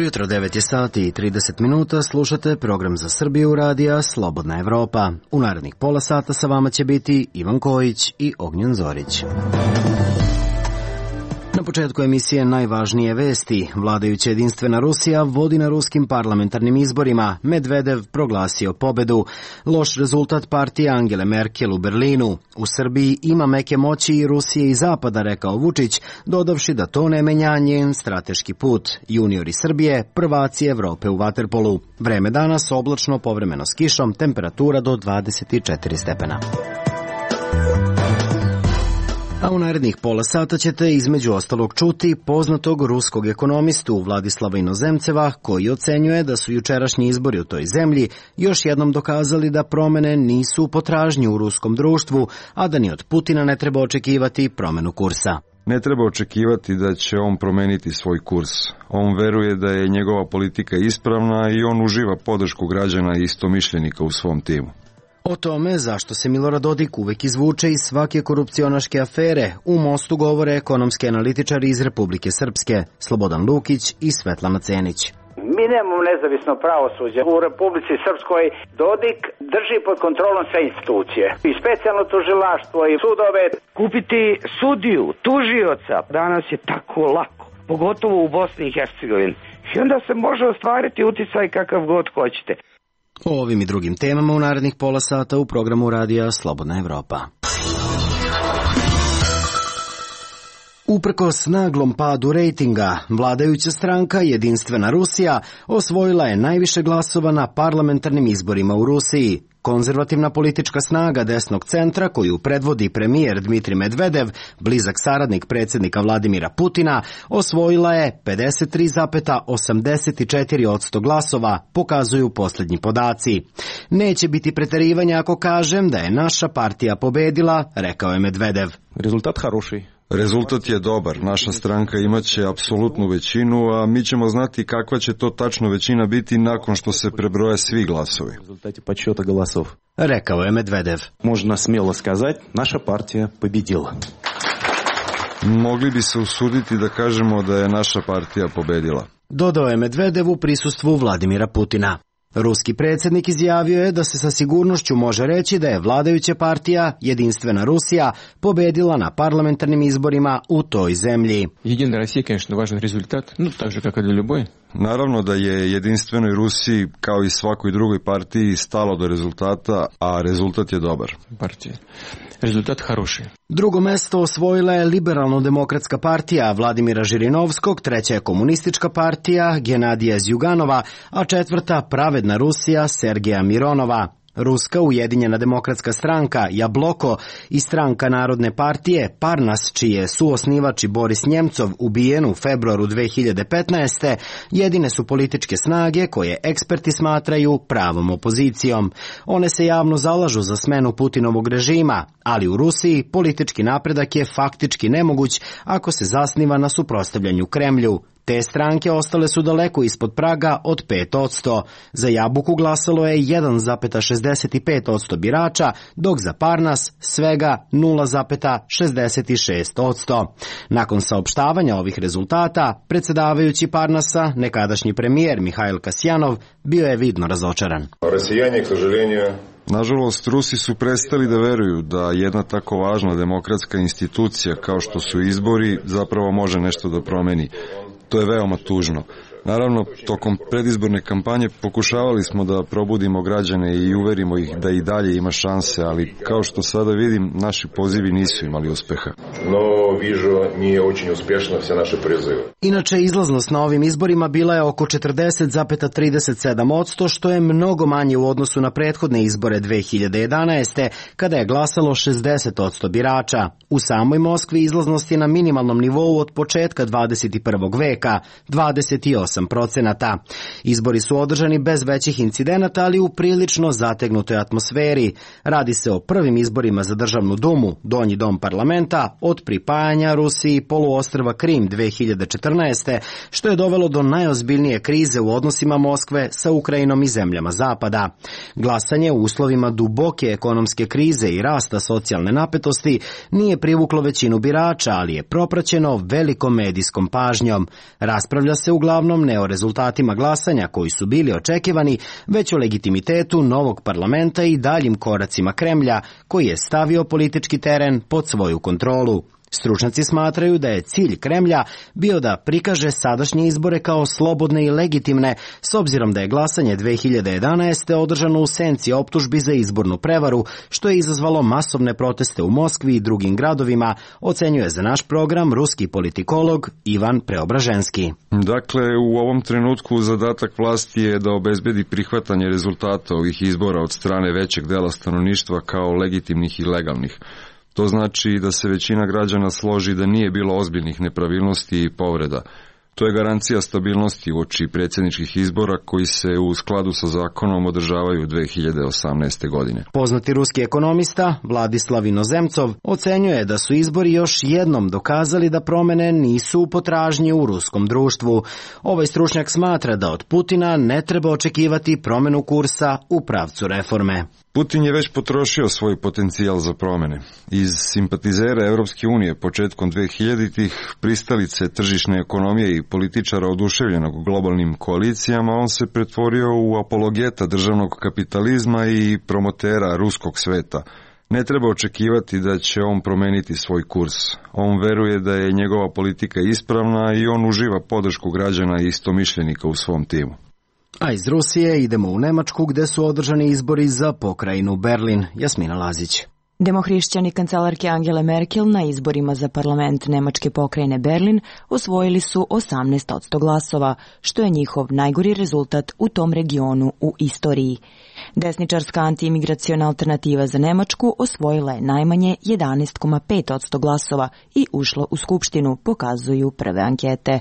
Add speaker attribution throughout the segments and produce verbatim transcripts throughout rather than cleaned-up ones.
Speaker 1: Jutro devet je sati i trideset minuta, slušate program za Srbiju radija Slobodna Evropa. U narednih pola sata sa vama će biti Ivan Kojić i Ognjen Zorić. Na početku emisije najvažnije vesti. Vladajuća jedinstvena Rusija vodi na ruskim parlamentarnim izborima. Medvedev proglasio pobedu. Loš rezultat partije Angele Merkel u Berlinu. U Srbiji ima meke moći i Rusije i Zapada, rekao Vučić, dodavši da to ne menja njen strateški put. Juniori Srbije, prvaci Evrope u vaterpolu. Vreme danas oblačno, povremeno s kišom, temperatura do dvadeset četiri stepena. A u narednih pola sata ćete između ostalog čuti poznatog ruskog ekonomistu Vladislava Inozemceva, koji ocenjuje da su jučerašnji izbori u toj zemlji još jednom dokazali da promene nisu u potražnji u ruskom društvu, a da ni od Putina ne treba očekivati promenu kursa.
Speaker 2: Ne treba očekivati da će on promeniti svoj kurs. On veruje da je njegova politika ispravna i on uživa podršku građana i istomišljenika u svom timu.
Speaker 1: O tome zašto se Milorad Dodik uvek izvuče iz svake korupcionaške afere u Mostu govore ekonomski analitičari iz Republike Srpske, Slobodan Lukić i Svetlana Cenić.
Speaker 3: Mi nemamo nezavisno pravosuđe. U Republici Srpskoj Dodik drži pod kontrolom sve institucije. I specijalno tužilaštvo i sudove.
Speaker 4: Kupiti sudiju, tužioca, danas je tako lako, pogotovo u Bosni i Hercegovini. I onda se može ostvariti uticaj kakav god hoćete.
Speaker 1: O ovim i drugim temama u narednih pola sata u programu radija Slobodna Evropa. Uprkos naglom padu rejtinga, vladajuća stranka Jedinstvena Rusija osvojila je najviše glasova na parlamentarnim izborima u Rusiji. Konzervativna politička snaga desnog centra, koju predvodi premijer Dmitrij Medvedev, blizak saradnik predsjednika Vladimira Putina, osvojila je pedeset tri zarez osamdeset četiri posto glasova, pokazuju posljednji podaci. Neće biti preterivanja ako kažem da je naša partija pobedila, rekao je Medvedev.
Speaker 5: Rezultat хороший.
Speaker 2: Rezultat je dobar, naša stranka imaće apsolutnu većinu, a mi ćemo znati kakva će to tačno većina biti nakon što se prebroje svi glasovi.
Speaker 1: Rekao je Medvedev.
Speaker 5: Možemo smjelo skazati, naša partija pobedila.
Speaker 2: Mogli bi se usuditi da kažemo da je naša partija pobedila.
Speaker 1: Dodao je Medvedev u prisustvu Vladimira Putina. Ruski predsjednik izjavio je da se sa sigurnošću može reći da je vladajuća partija Jedinstvena Rusija pobedila na parlamentarnim izborima u toj zemlji.
Speaker 6: Jedina Rusija, конечно, važan rezultat, no tako kako для любой.
Speaker 2: Naravno da je Jedinstvenoj Rusiji, kao i svakoj drugoj partiji, stalo do rezultata, a rezultat je dobar.
Speaker 6: Partija. Rezultat хороший.
Speaker 1: Drugo mesto osvojila je Liberalno-demokratska partija Vladimira Žirinovskog, treća je Komunistička partija Genadija Zjuganova, a četvrta Pravedna Rusija Sergeja Mironova. Ruska ujedinjena demokratska stranka Jabloko i stranka Narodne partije Parnas, čiji je suosnivač i Boris Njemcov ubijen u februaru dve hiljade petnaeste. jedine su političke snage koje eksperti smatraju pravom opozicijom. One se javno zalažu za smenu Putinovog režima, ali u Rusiji politički napredak je faktički nemoguć ako se zasniva na suprotstavljanju Kremlju. Te stranke ostale su daleko ispod praga od pet posto. Za Jabuku glasalo je jedan zarez šezdeset pet posto birača, dok za Parnas svega nula zarez šezdeset šest posto. Nakon saopštavanja ovih rezultata, predsjedavajući Parnasa, nekadašnji premijer Mihajl Kasjanov, bio je vidno razočaran.
Speaker 2: Rasijanje, k sažaljenju... Nažalost, Rusi su prestali da veruju da jedna tako važna demokratska institucija kao što su izbori zapravo može nešto da promeni. To je veoma tužno. Naravno, tokom predizborne kampanje pokušavali smo da probudimo građane i uverimo ih da i dalje ima šanse, ali kao što sada vidim, naši pozivi nisu imali uspeha.
Speaker 7: No, vižu, nije очень uspješno sve naše prizive.
Speaker 1: Inače, izlaznost na ovim izborima bila je oko četrdeset zarez trideset sedam posto, što je mnogo manje u odnosu na prethodne izbore dve hiljade jedanaeste. kada je glasalo šezdeset posto birača. U samoj Moskvi izlaznost je na minimalnom nivou od početka dvadeset prvog veka, veka, dvadeset osam procenata. Izbori su održani bez većih incidenata, ali u prilično zategnutoj atmosferi. Radi se o prvim izborima za državnu dumu, donji dom parlamenta, od pripajanja Rusiji poluostrva Krim dve hiljade četrnaeste. što je dovelo do najozbiljnije krize u odnosima Moskve sa Ukrajinom i zemljama Zapada. Glasanje u uslovima duboke ekonomske krize i rasta socijalne napetosti nije privuklo većinu birača, ali je propraćeno velikom medijskom pažnjom. Raspravlja se uglavnom ne o rezultatima glasanja koji su bili očekivani, već o legitimitetu novog parlamenta i daljim koracima Kremlja, koji je stavio politički teren pod svoju kontrolu. Stručnjaci smatraju da je cilj Kremlja bio da prikaže sadašnje izbore kao slobodne i legitimne, s obzirom da je glasanje dve hiljade jedanaeste. održano u senci optužbi za izbornu prevaru, što je izazvalo masovne proteste u Moskvi i drugim gradovima, ocenjuje za naš program ruski politikolog Ivan Preobraženski.
Speaker 2: Dakle, u ovom trenutku zadatak vlasti je da obezbedi prihvatanje rezultata ovih izbora od strane većeg dela stanovništva kao legitimnih i legalnih. To znači da se većina građana složi da nije bilo ozbiljnih nepravilnosti i povreda. To je garancija stabilnosti uoči predsjedničkih izbora koji se u skladu sa zakonom održavaju dve hiljade osamnaeste. godine.
Speaker 1: Poznati ruski ekonomista Vladislav Inozemcov ocenjuje da su izbori još jednom dokazali da promene nisu u potražnji u ruskom društvu. Ovaj stručnjak smatra da od Putina ne treba očekivati promenu kursa u pravcu reforme.
Speaker 2: Putin je već potrošio svoj potencijal za promene. Iz simpatizera Evropske unije početkom dve hiljaditih, pristalice tržišne ekonomije i političara oduševljenog globalnim koalicijama, on se pretvorio u apologeta državnog kapitalizma i promotera ruskog sveta. Ne treba očekivati da će on promeniti svoj kurs. On veruje da je njegova politika ispravna i on uživa podršku građana i istomišljenika u svom timu.
Speaker 1: A iz Rusije idemo u Nemačku gde su održani izbori za pokrajinu Berlin. Jasmina Lazić.
Speaker 8: Demohrišćani kancelarke Angele Merkel na izborima za parlament Nemačke pokrajine Berlin osvojili su osamnaest posto glasova, što je njihov najgori rezultat u tom regionu u istoriji. Desničarska antiimigraciona alternativa za Nemačku osvojila je najmanje jedanaest zarez pet posto glasova i ušla u skupštinu, pokazuju prve ankete.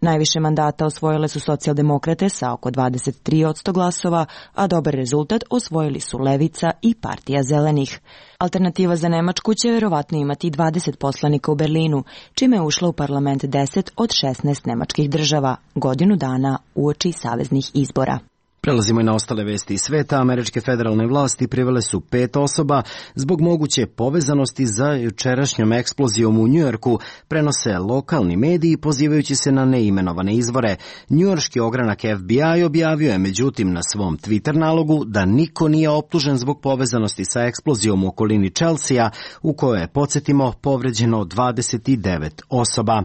Speaker 8: Najviše mandata osvojile su socijaldemokrate sa oko dvadeset tri posto glasova, a dobar rezultat osvojili su Levica i Partija zelenih. Alternativa za Nemačku će verovatno imati dvadeset poslanika u Berlinu, čime je ušla u parlament deset od šesnaest nemačkih država, godinu dana uoči saveznih izbora.
Speaker 1: Prelazimo i na ostale vesti iz sveta. Američke federalne vlasti privele su pet osoba zbog moguće povezanosti za jučerašnjom eksplozijom u Njujorku, prenose lokalni mediji pozivajući se na neimenovane izvore. Njujorški ogranak F B I objavio je međutim na svom Twitter nalogu da niko nije optužen zbog povezanosti sa eksplozijom u okolini Chelsea, u kojoj je, podsjetimo, povređeno dvadeset devet osoba.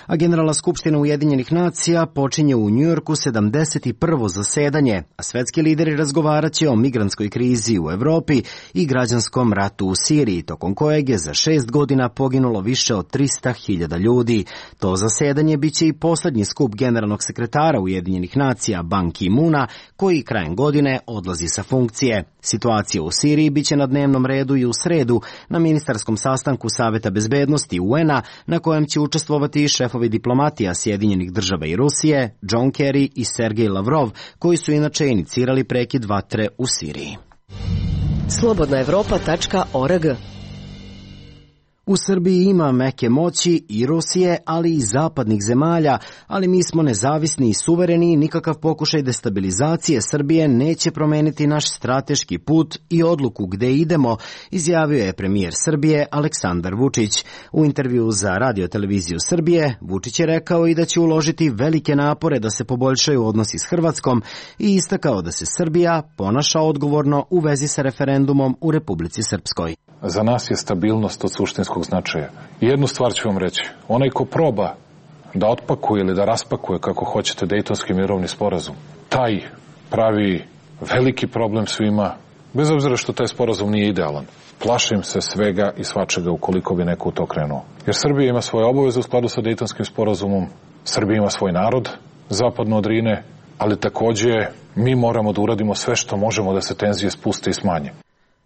Speaker 1: A Generalna skupština Ujedinjenih nacija počinje u Njujorku sedamdeset prvo zasedanje, a svetski lideri razgovaraće o migrantskoj krizi u Evropi i građanskom ratu u Siriji, tokom kojeg je za šest godina poginulo više od trista hiljada ljudi. To zasedanje biće i poslednji skup generalnog sekretara Ujedinjenih nacija Ban Ki-moona, koji krajem godine odlazi sa funkcije. Situacija u Siriji biće na dnevnom redu i u sredu na ministarskom sastanku Saveta bezbednosti U N-a, na kojem će učestvovati i šefovi diplomatija Sjedinjenih država i Rusije, John Kerry i Sergej Lavrov, koji su inače inicirali prekid vatre u Siriji.
Speaker 9: slobodna evropa tačka org.
Speaker 1: U Srbiji ima meke moći i Rusije, ali i zapadnih zemalja, ali mi smo nezavisni i suvereni i nikakav pokušaj destabilizacije Srbije neće promeniti naš strateški put i odluku gde idemo, izjavio je premijer Srbije Aleksandar Vučić. U intervju za Radio-televiziju Srbije, Vučić je rekao i da će uložiti velike napore da se poboljšaju odnosi s Hrvatskom i istakao da se Srbija ponaša odgovorno u vezi sa referendumom u Republici Srpskoj.
Speaker 10: Za nas je stabilnost od suštinskog značaja. Jednu stvar ću vam reći. Onaj ko proba da otpakuje ili da raspakuje, kako hoćete, Dejtonski mirovni sporazum, taj pravi veliki problem svima, bez obzira što taj sporazum nije idealan. Plašim se svega i svačega ukoliko bi neko u to krenuo. Jer Srbija ima svoje obaveze u skladu sa Dejtonskim sporazumom, Srbija ima svoj narod zapadno od Drine, ali takođe mi moramo da uradimo sve što možemo da se tenzije spuste i smanje.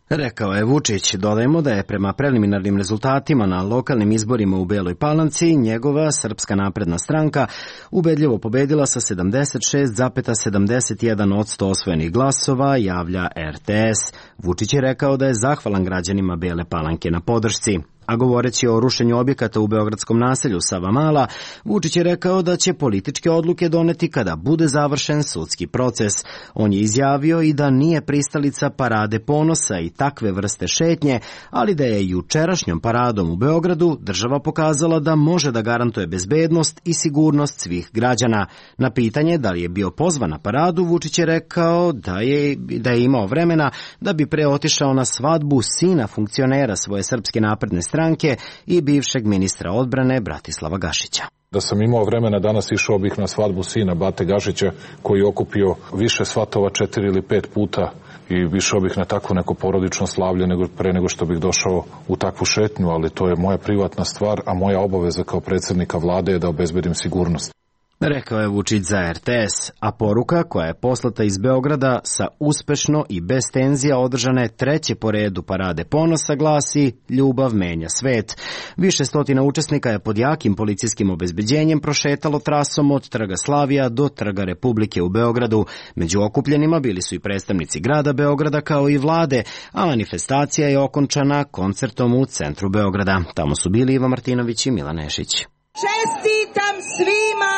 Speaker 1: Rekao je Vučić. Dodajmo da je prema preliminarnim rezultatima na lokalnim izborima u Beloj Palanci njegova Srpska napredna stranka ubedljivo pobedila sa sedamdeset šest zarez sedamdeset jedan posto osvojenih glasova, javlja er te es. Vučić je rekao da je zahvalan građanima Bele Palanke na podršci. A govoreći o rušenju objekata u beogradskom naselju Savamala, Vučić je rekao da će političke odluke doneti kada bude završen sudski proces. On je izjavio i da nije pristalica parade ponosa i takve vrste šetnje, ali da je jučerašnjom paradom u Beogradu država pokazala da može da garantuje bezbednost i sigurnost svih građana. Na pitanje da li je bio pozvan na paradu, Vučić je rekao da je, da je imao vremena da bi pre otišao na svadbu sina funkcionera svoje Srpske napredne stranke i bivšeg ministra odbrane Bratislava Gašića.
Speaker 10: Da sam imao vremena, danas išao bih na svadbu sina Bate Gašića, koji je okupio više svatova četiri ili pet puta, i išao bih na takvo neko porodično slavlje nego pre nego što bih došao u takvu šetnju, ali to je moja privatna stvar, a moja obaveza kao predsjednika vlade je da obezbedim sigurnost.
Speaker 1: Rekao je Vučić za er te es, a poruka koja je poslata iz Beograda sa uspešno i bez tenzija održane treće po redu parade ponosa glasi "Ljubav menja svet". Više stotina učesnika je pod jakim policijskim obezbeđenjem prošetalo trasom od Trga Slavija do Trga Republike u Beogradu. Među okupljenima bili su i predstavnici grada Beograda kao i vlade, a manifestacija je okončana koncertom u centru Beograda. Tamo su bili Iva Martinović i Milan Nešić.
Speaker 11: Čestitam svima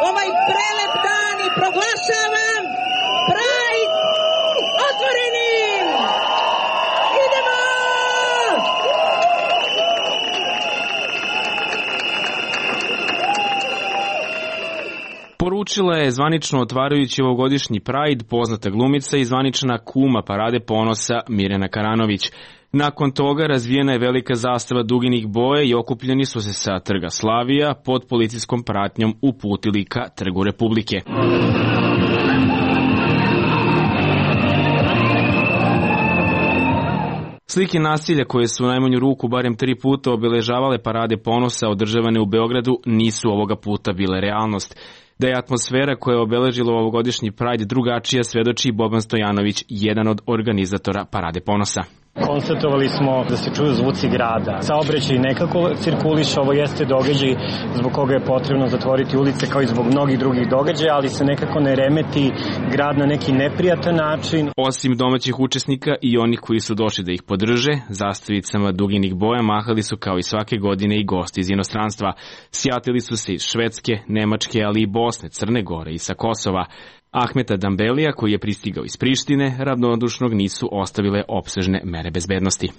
Speaker 11: ovaj prelep dan i proglašavam Pride otvorenim! Idemo!
Speaker 12: Poručila je zvanično otvarajući ovogodišnji Pride poznata glumica i zvanična kuma parade ponosa Mirjana Karanović. Nakon toga razvijena je velika zastava duginih boja i okupljeni su se sa Trga Slavija pod policijskom pratnjom uputili ka Trgu Republike. Slike nasilja koje su u najmanju ruku barem tri puta obeležavale parade ponosa održavane u Beogradu nisu ovoga puta bile realnost. Da je atmosfera koja je obeležila ovogodišnji Pride drugačija svedoči Boban Stojanović, jedan od organizatora parade ponosa.
Speaker 13: Konstatovali smo da se čuju zvuci grada. Saobraćaj nekako cirkuliše, ovo jeste događaj zbog koga je potrebno zatvoriti ulice kao i zbog mnogih drugih događaja, ali se nekako ne remeti grad na neki neprijatan način.
Speaker 12: Osim domaćih učesnika i onih koji su došli da ih podrže, zastavicama duginih boja mahali su kao i svake godine i gosti iz inostranstva. Sjatili su se iz Švedske, Nemačke, ali i Bosne, Crne Gore i sa Kosova. Ahmeta Dambelija, koji je pristigao iz Prištine, ravnodušnog nisu ostavile opsežne mere bezbednosti.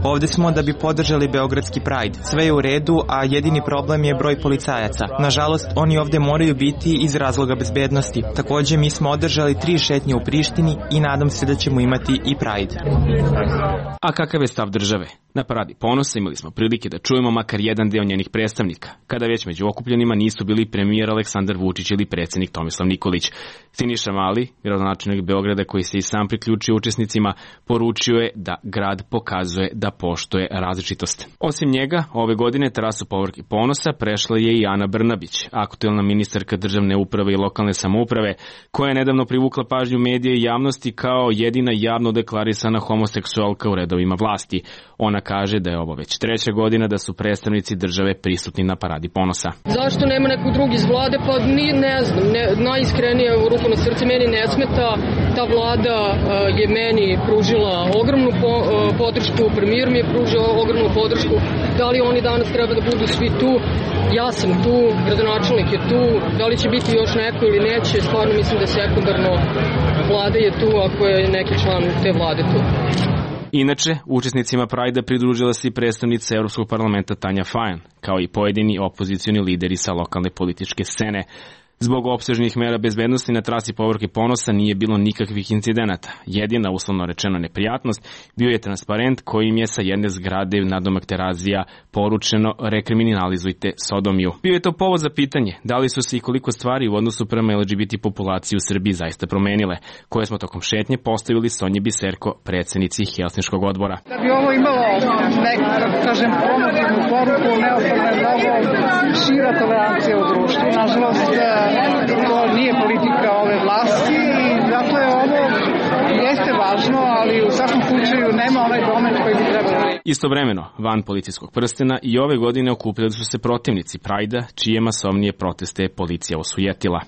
Speaker 14: Ovde smo da bi podržali Beogradski Pride. Sve je u redu, a jedini problem je broj policajaca. Nažalost, oni ovde moraju biti iz razloga bezbednosti. Takođe, mi smo održali tri šetnje u Prištini i nadam se da ćemo imati i Pride.
Speaker 12: A kakav je stav države? Na paradi ponosa imali smo prilike da čujemo makar jedan deo njenih predstavnika, kada već među okupljenima nisu bili premijer Aleksandar Vučić ili predsjednik Tomislav Nikolić. Siniša Mali, gradonačelnik Beograda koji se i sam priključio učesnicima, poručio je da grad pokazuje da poštuje različitost. Osim njega, ove godine trasu Povorke ponosa prešla je i Ana Brnabić, aktuelna ministarka državne uprave i lokalne samouprave, koja je nedavno privukla pažnju medija i javnosti kao jedina javno deklarisana homoseksualka u redovima vlasti. Ona kaže da je ovo već treća godina da su predstavnici države prisutni na paradi ponosa.
Speaker 15: Zašto nema nekog drugog iz vlade? Pa ni, ne znam, ne, najiskrenije u ruku na srce meni ne smeta. Ta vlada uh, je meni pružila ogromnu po, uh, podršku, premijer mi je pružio ogromnu podršku. Da li oni danas treba da budu svi tu? Ja sam tu, gradonačelnik je tu. Da li će biti još neko ili neće? Stvarno mislim da je sekundarno. Vlada je tu ako je neki član te vlade tu.
Speaker 12: Inače, učesnicima Prajda pridružila se i predstavnica Evropskog parlamenta Tanja Fajon, kao i pojedini opozicioni lideri sa lokalne političke scene. Zbog opsežnih mera bezbednosti na trasi Povorke ponosa nije bilo nikakvih incidenata. Jedina, uslovno rečeno, neprijatnost bio je transparent kojim je sa jedne zgrade nadomak Terazija poručeno rekriminalizujte sodomiju. Bio je to povod za pitanje da li su se i koliko stvari u odnosu prema el dže be te populaciji u Srbiji zaista promenile, koje smo tokom šetnje postavili Sonji Biserko, predsjednici Helsinškog odbora.
Speaker 16: Da bi ovo imalo neku, kako kažem, promotivnu poruku, neophodno je mnogo šira tolerancija u društvu. Nažalost, to nije politika ove vlasti i zato je ovo jeste važno. važno, ali u svakom slučaju nema onaj domet koji bi trebalo.
Speaker 12: Istovremeno, van policijskog prstena i ove godine okupljali su se protivnici Prajda, čije masovnije proteste je policija osujetila.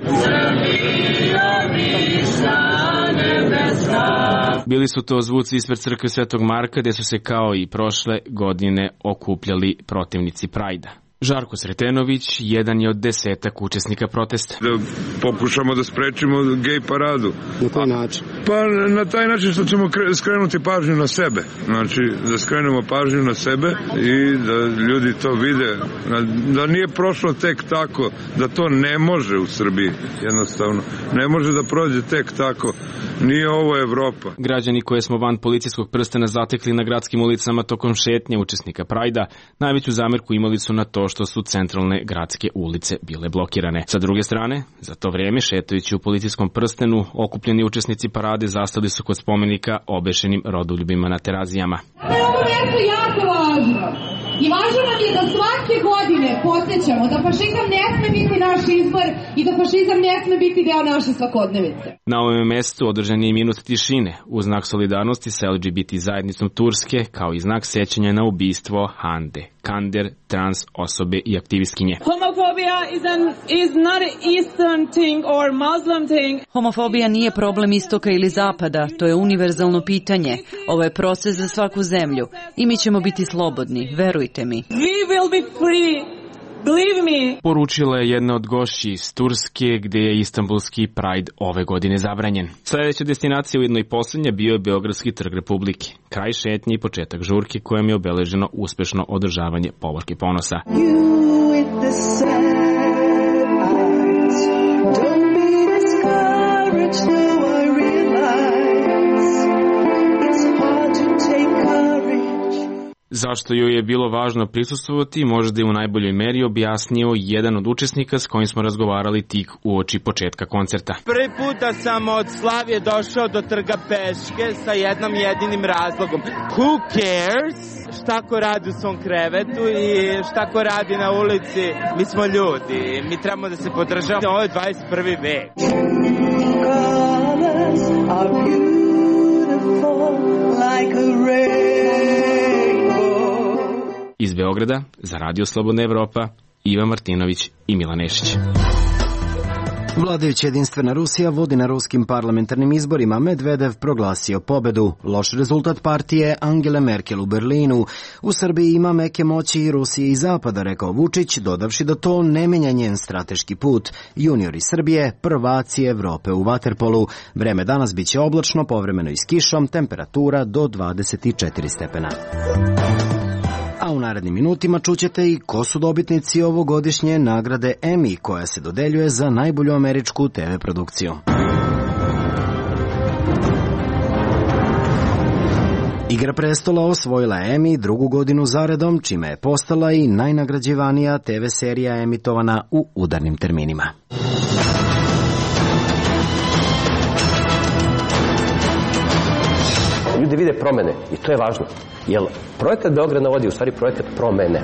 Speaker 12: Bili su to zvuci ispred crkve Svetog Marka, gde su se kao i prošle godine okupljali protivnici Prajda. Žarko Sretenović jedan je od desetak učesnika protesta.
Speaker 17: Da pokušamo da sprečimo gej paradu.
Speaker 1: Na koji način?
Speaker 17: Pa na taj način što ćemo skrenuti pažnju na sebe. Znači da skrenemo pažnju na sebe i da ljudi to vide. Da nije prošlo tek tako, da to ne može u Srbiji jednostavno. Ne može da prođe tek tako. Nije ovo Evropa.
Speaker 12: Građani koje smo van policijskog prstena zatekli na gradskim ulicama tokom šetnje učesnika Prajda, najveću zamerku imali su na to što su centralne gradske ulice bile blokirane. Sa druge strane, za to vreme šetajući u policijskom prstenu, okupljeni učesnici parade zastali su kod spomenika obešenim rodoljubima na Terazijama.
Speaker 18: Ovo mjesto je jako važno. I važno nam je da svake godine podsjećamo da fašizam ne sme biti naš izbor i da fašizam ne sme biti deo naše svakodnevice.
Speaker 12: Na ovom mestu održan je minut tišine u znak solidarnosti sa L G B T zajednicom Turske, kao i znak sećanja na ubistvo Hande Kander, trans osobe i aktivistkinje.
Speaker 19: Homofobija is an, is not an Eastern thing or Muslim thing.
Speaker 20: Homofobija nije problem istoka ili zapada, to je univerzalno pitanje. Ovo je proces za svaku zemlju i mi ćemo biti slobodni, verujte mi.
Speaker 19: We will be free. Believe me.
Speaker 12: Poručila je jedna od gošći iz Turske, gde je Istanbulski Pride ove godine zabranjen. Sledeća destinacija, ujedno i poslednja, bio je Beogradski trg Republike. Kraj šetnje i početak žurke kojem je obeleženo uspešno održavanje Povorke ponosa. Zašto joj je bilo važno prisustvovati, možda je u najboljoj meri objasnio jedan od učesnika s kojim smo razgovarali tik uoči početka koncerta.
Speaker 21: Prvi puta sam od Slavije došao do trga peške sa jednom jedinim razlogom. Who cares šta ko radi u svom krevetu i šta ko radi na ulici? Mi smo ljudi, mi trebamo da se podržavamo. Ovo je dvadeset prvi vek.
Speaker 12: Iz Beograda, za Radio Slobodna Evropa, Ivan Martinović i Milan Nešić.
Speaker 1: Vladajuća Jedinstvena Rusija vodi na ruskim parlamentarnim izborima. Medvedev proglasio pobedu. Loš rezultat partije Angele Merkel u Berlinu. U Srbiji ima meke moći i Rusije i Zapada, rekao Vučić, dodavši da to ne menja njen strateški put. Juniori Srbije, prvaci Evrope u vaterpolu. Vreme danas biće oblačno, povremeno i s kišom, temperatura do dvadeset četiri stepena. A u narednim minutima čućete i ko su dobitnici ovogodišnje nagrade Emmy, koja se dodeljuje za najbolju američku te ve produkciju. Igra prestola osvojila Emmy drugu godinu zaredom, čime je postala i najnagrađivanija te ve serija emitovana u udarnim terminima.
Speaker 22: Ljudi vide promene i to je važno. Jer projekat Beograd na vodi je u stvari projekat promene.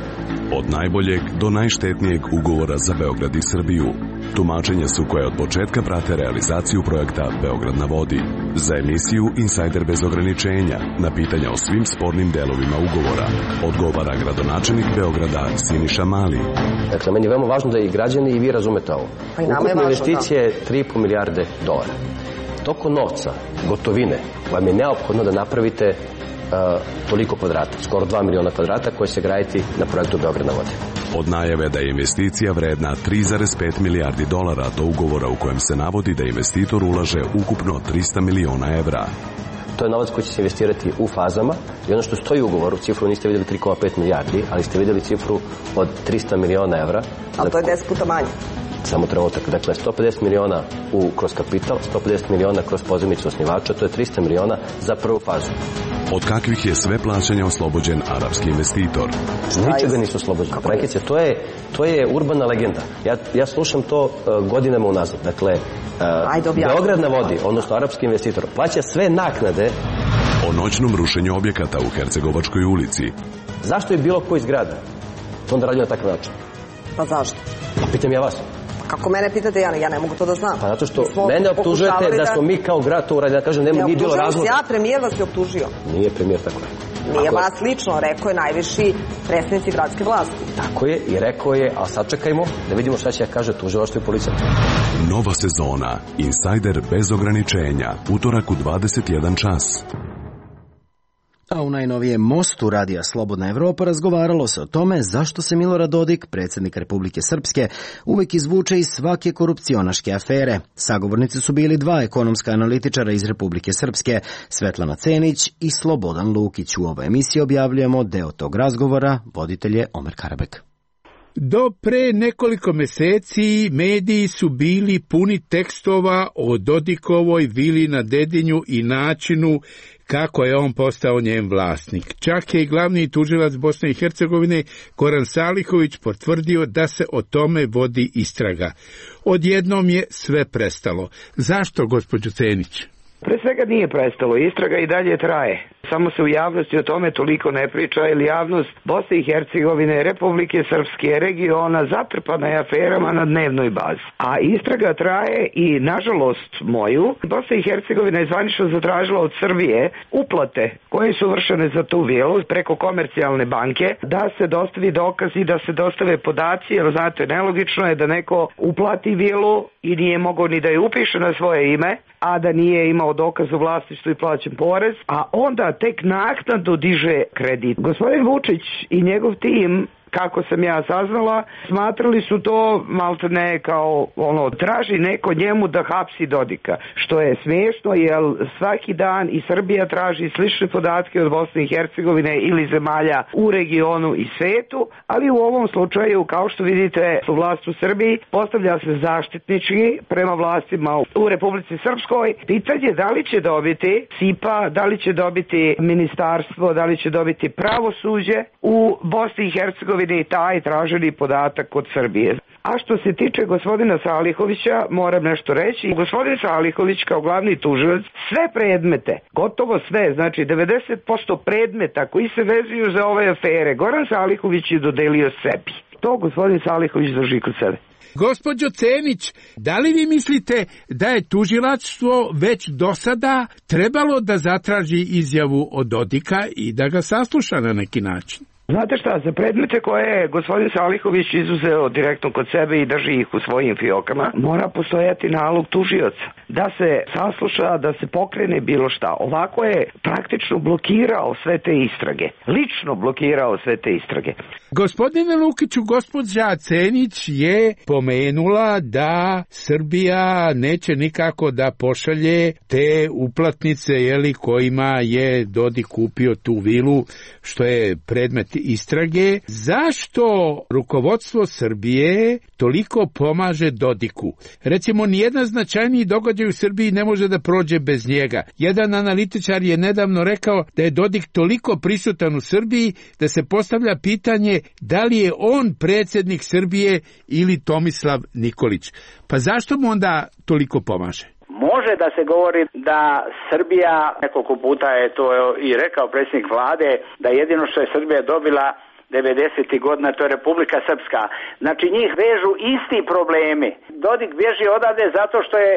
Speaker 23: Od najboljeg do najštetnijeg ugovora za Beograd i Srbiju. Tumačenja su koje od početka prate realizaciju projekta Beograd na vodi. Za emisiju Insider bez ograničenja, na pitanja o svim spornim delovima ugovora, odgovara gradonačelnik Beograda Siniša Mali.
Speaker 22: Dakle, meni je veoma važno da i građani i vi razumete ovo. Pa ukupne investicije je tri i po milijarde dolara. Toko novca, gotovine, vam je neophodno da napravite uh, toliko kvadrata, skoro dva miliona kvadrata koje će graditi na projektu Beograd na vodi.
Speaker 23: Od najave da je investicija vredna tri zarez pet milijardi dolara do ugovora u kojem se navodi da investitor ulaže ukupno trista miliona evra.
Speaker 22: To je novac koji će se investirati u fazama i ono što stoji u ugovoru, cifru niste vidjeli tri zarez pet milijardi, ali ste vidjeli cifru od trista miliona evra.
Speaker 24: Ali to je deset puta manje.
Speaker 22: Samo trenutak. Dakle, sto pedeset miliona u, kroz kapital, sto pedeset miliona kroz pozajmicu osnivača, to je trista miliona za prvu fazu.
Speaker 23: Od kakvih je sve plaćanja oslobođen arapski investitor?
Speaker 22: Ničega nisu oslobođeni. Prekice, to je, to je urbana legenda. Ja, ja slušam to uh, godinama unazad. Dakle, uh, Beograd na vodi, odnosno arapski investitor, plaća sve naknade.
Speaker 23: O noćnom rušenju objekata u Hercegovačkoj ulici.
Speaker 22: Zašto je bilo koji zgrada to onda radio na takav način?
Speaker 24: Pa zašto?
Speaker 22: Pa pitam ja vas.
Speaker 3: Kako mene pitate, ja ne, ja ne mogu to da znam.
Speaker 22: Pa zato što mene optužujete da... da smo mi kao grad to uradili, da kažem, nema, nije bilo razloga.
Speaker 3: Ja, premijer vas je optužio.
Speaker 22: Nije premijer tako je.
Speaker 3: Nije Ako vas lično, rekao je najviši predstavnici gradske vlasti.
Speaker 22: Tako je i rekao je, a sad čekajmo da vidimo šta će kaže tužilaštvo i policija.
Speaker 23: Nova sezona Insider bez ograničenja, utorak u dvadeset jedan čas.
Speaker 1: A u najnovijem mostu Radija Slobodna Evropa razgovaralo se o tome zašto se Milorad Dodik, predsjednik Republike Srpske, uvek izvuče iz svake korupcionaške afere. Sagovornici su bili dva ekonomska analitičara iz Republike Srpske, Svetlana Cenić i Slobodan Lukić. U ovoj emisiji objavljujemo deo tog razgovora, voditelj je Omer Karabek.
Speaker 4: Do pre nekoliko meseci mediji su bili puni tekstova o Dodikovoj vili na Dedinju i načinu kako je on postao njen vlasnik. Čak je i glavni tužilac Bosne i Hercegovine Goran Salihović potvrdio da se o tome vodi istraga. Odjednom je sve prestalo. Zašto, gospođo Cenić?
Speaker 5: Pre svega nije prestalo, istraga i dalje traje. Samo se u javnosti o tome toliko ne priča, jer javnost Bosne i Hercegovine, Republike Srpske, regiona zatrpana je aferama na dnevnoj bazi. A istraga traje i, nažalost moju, Bosna i Hercegovina je zvanično zatražila od Srbije uplate koje su vršene za tu vilu preko komercijalne banke, da se dostavi dokaz i da se dostave podaci, jer znate, nelogično je da neko uplati vilu i nije mogao ni da je upiše na svoje ime, a da nije imao dokaz o vlasništvu i plaćen porez, a onda tek naknadno diže kredit. Gospodin Vučić i njegov tim, kako sam ja saznala, smatrali su to maltene kao ono, traži neko njemu da hapsi Dodika, što je smiješno jer svaki dan i Srbija traži slične podatke od Bosne i Hercegovine ili zemalja u regionu i svetu, ali u ovom slučaju, kao što vidite, vlast u Srbiji postavlja se zaštitnički prema vlastima u Republici Srpskoj. Pitanje da li će dobiti S I P A, da li će dobiti ministarstvo, da li će dobiti pravosuđe u Bosni i Hercegovini i taj traženi podatak od Srbije. A što se tiče gospodina Salihovića, moram nešto reći. Gospodin Salihović kao glavni tužilac sve predmete, gotovo sve, znači devedeset posto predmeta koji se vezuju za ove afere, Goran Salihović je dodelio sebi. To gospodin Salihović drži kod sebe.
Speaker 4: Gospođo Cenić, da li vi mislite da je tužilaštvo već do sada trebalo da zatraži izjavu od Dodika i da ga sasluša na neki način?
Speaker 5: Znate šta, za predmete koje je gospodin Salihović izuzeo direktno kod sebe i drži ih u svojim fiokama, mora postojati nalog tužioca da se sasluša, da se pokrene bilo šta. Ovako je praktično blokirao sve te istrage. Lično blokirao sve te istrage.
Speaker 4: Gospodine Lukiću, gospođa Cenić je pomenula da Srbija neće nikako da pošalje te uplatnice, jeli, kojima je Dodik kupio tu vilu, što je predmet istrage. Zašto rukovodstvo Srbije toliko pomaže Dodiku? Recimo, nijedan značajniji događaj u Srbiji ne može da prođe bez njega. Jedan analitičar je nedavno rekao da je Dodik toliko prisutan u Srbiji da se postavlja pitanje da li je on predsjednik Srbije ili Tomislav Nikolić. Pa zašto mu onda toliko pomaže?
Speaker 24: Može da se govori da Srbija, nekoliko puta je to i rekao predsjednik vlade, da jedino što je Srbija dobila devedesetih godina, to je Republika Srpska. Znači njih vežu isti problemi. Dodik bježi odavde zato što je,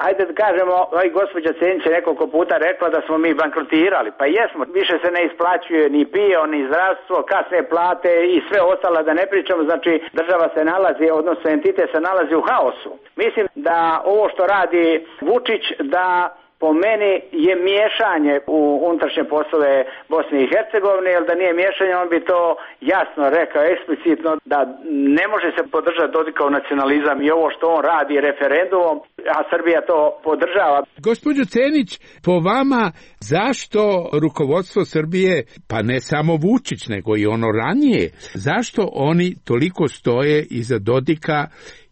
Speaker 24: ajde da kažemo, i gospođa Cenić je nekoliko puta rekla da smo mi bankrotirali. Pa jesmo, više se ne isplaćuje ni pio, ni zdravstvo, kasne plate i sve ostalo, da ne pričamo. Znači država se nalazi, odnosno entitet se nalazi u haosu. Mislim da ovo što radi Vučić, da po meni je miješanje u unutrašnje poslove Bosne i Hercegovine, jer da nije miješanje, on bi to jasno rekao eksplicitno da ne može se podržati Dodikov nacionalizam i ovo što on radi referendumom, a Srbija to podržava.
Speaker 4: Gospođo Cenić, po vama zašto rukovodstvo Srbije, pa ne samo Vučić, nego i ono ranije, zašto oni toliko stoje iza Dodika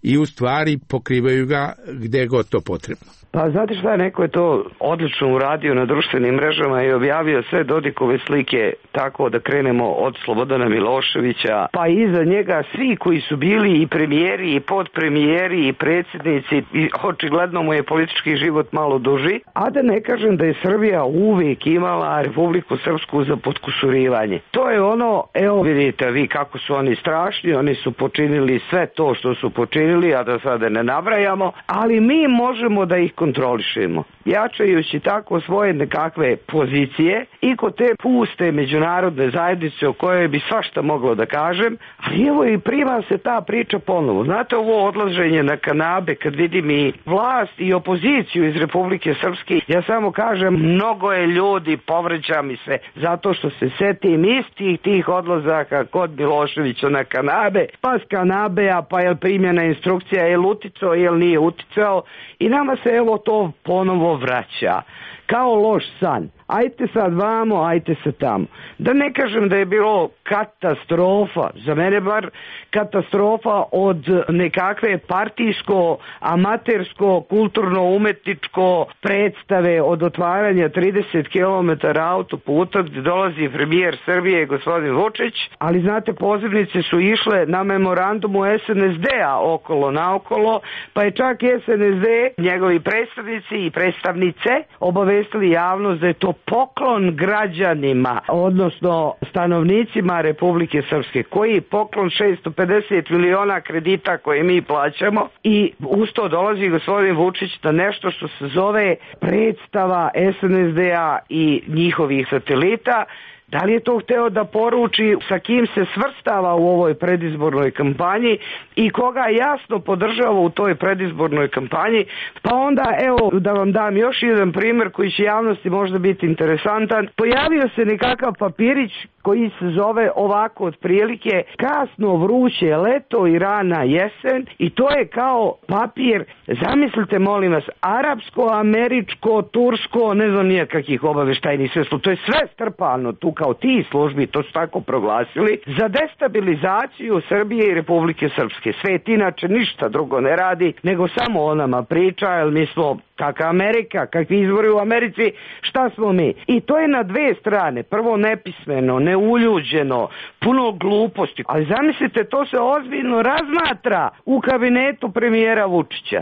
Speaker 4: i u stvari pokrivaju ga gde god to potrebno?
Speaker 5: Pa znate šta, neko je to odlično uradio na društvenim mrežama i objavio sve Dodikove slike tako da krenemo od Slobodana Miloševića, pa iza njega svi koji su bili i premijeri i podpremijeri i predsjednici, i očigledno mu je politički život malo duži, a da ne kažem da je Srbija uvijek imala Republiku Srpsku za potkusurivanje. To je ono, evo vidite vi kako su oni strašni, oni su počinili sve to što su počinili, napravili, a da sada ne nabrajamo, ali mi možemo da ih kontrolišemo, jačajući tako svoje nekakve pozicije i kod te puste međunarodne zajednice o kojoj bi svašta moglo da kažem, ali evo i prima se ta priča ponovo. Znate, ovo odlaženje na kanabe, kad vidim i vlast i opoziciju iz Republike Srpske, ja samo kažem, mnogo je ljudi, povređa mi se, zato što se setim istih tih odlazaka kod Miloševića na kanabe, pa s kanabea, pa je primjena instrukcija, je li uticao, je li nije uticao, i nama se evo to ponovo vraća kao loš san. Ajte sad vamo, ajte se tamo. Da ne kažem da je bilo katastrofa, za mene bar katastrofa od nekakve partijsko, amatersko, kulturno-umetničko predstave od otvaranja trideset kilometara autoputa gdje dolazi premijer Srbije gospodin Vučić, ali znate, pozivnice su išle na memorandumu es en es de-a okolo naokolo, pa je čak es en es de, njegovi predstavnici i predstavnice obavestili javnost da je to poklon građanima, odnosno stanovnicima Republike Srpske, koji je poklon šesto pedeset miliona kredita koje mi plaćamo, i uz to dolazi gospodin Vučić na nešto što se zove predstava es en es de-a i njihovih satelita. Da li je to hteo da poruči sa kim se svrstava u ovoj predizbornoj kampanji i koga jasno podržava u toj predizbornoj kampanji? Pa onda, evo, da vam dam još jedan primjer koji će javnosti možda biti interesantan. Pojavio se nekakav papirić koji se zove ovako otprilike kasno vruće leto i rana jesen, i to je kao papir, zamislite molim vas, arapsko, američko, tursko, ne znam nije kakih obaveštajnih sredstva, to je sve strpano tu kao ti službi, to su tako proglasili, za destabilizaciju Srbije i Republike Srpske. Svet inače ništa drugo ne radi, nego samo o nama priča, jer mi smo kakva Amerika, kakvi izbori u Americi, šta smo mi? I to je na dve strane. Prvo nepismeno, neuljuđeno, puno gluposti. Ali zamislite, to se ozbiljno razmatra u kabinetu premijera Vučića.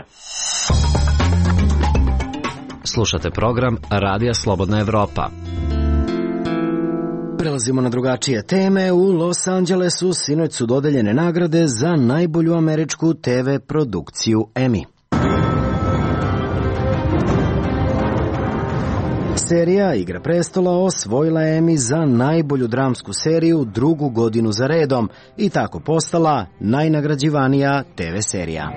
Speaker 1: Slušate program Radija Slobodna Evropa. Prelazimo na drugačije teme. U Los Angelesu sinoć su dodeljene nagrade za najbolju američku te ve produkciju Emmy. Serija Igra prestola osvojila Emmy za najbolju dramsku seriju drugu godinu za redom i tako postala najnagrađivanija te ve serija.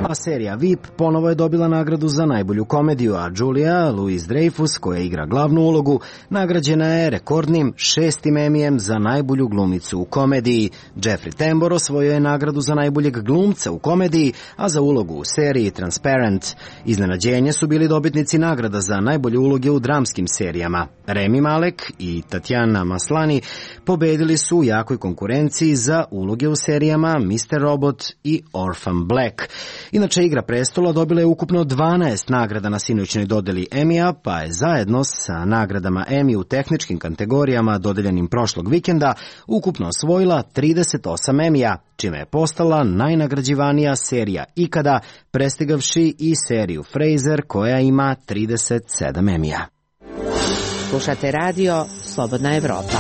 Speaker 1: A serija V I P ponovo je dobila nagradu za najbolju komediju, a Julia Louis-Dreyfus, koja igra glavnu ulogu, nagrađena je rekordnim šestim Emmyjem za najbolju glumicu u komediji. Jeffrey Tambor osvojio je nagradu za najboljeg glumca u komediji, a za ulogu u seriji Transparent. Iznenađenje su bili dobitnici nagrada za najbolje uloge u dramskim serijama. Rami Malek i Tatjana Maslany pobedili su u jakoj konkurenciji za uloge u serijama mister Robot i Orphan Black. Inače, Igra prestola dobila je ukupno dvanaest nagrada na sinoćnoj dodeli Emmya, pa je zajedno sa nagradama Emmy u tehničkim kategorijama dodeljenim prošlog vikenda ukupno osvojila trideset osam Emmya, čime je postala najnagrađivanija serija ikada, prestigavši i seriju Frasier koja ima trideset sedam Emmya.
Speaker 2: Slušate radio Slobodna Evropa.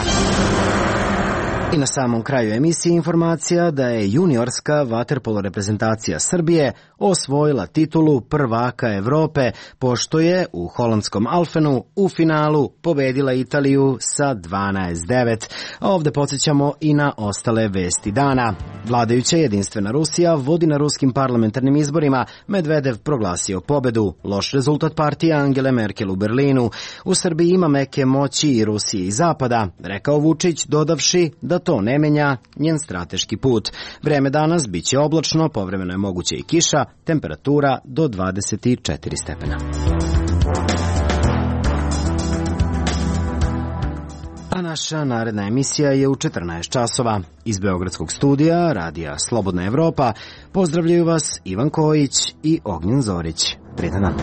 Speaker 1: I na samom kraju emisije informacija da je juniorska vaterpolo reprezentacija Srbije osvojila titulu prvaka Evrope, pošto je u holandskom Alfenu u finalu pobedila Italiju sa dvanaest devet. A ovde podsjećamo i na ostale vesti dana. Vladajuća jedinstvena Rusija vodi na ruskim parlamentarnim izborima. Medvedev proglasio pobedu. Loš rezultat partije Angele Merkel u Berlinu. U Srbiji ima meke moći i Rusije i Zapada, rekao Vučić, dodavši da to ne menja njen strateški put. Vreme danas biće oblačno, povremeno je moguće i kiša, temperatura do dvadeset četiri stepena. A naša naredna emisija je u četrnaest časova. Iz Beogradskog studija Radija Slobodna Evropa pozdravljaju vas Ivan Kojić i Ognjen Zorić. Prijetan dan.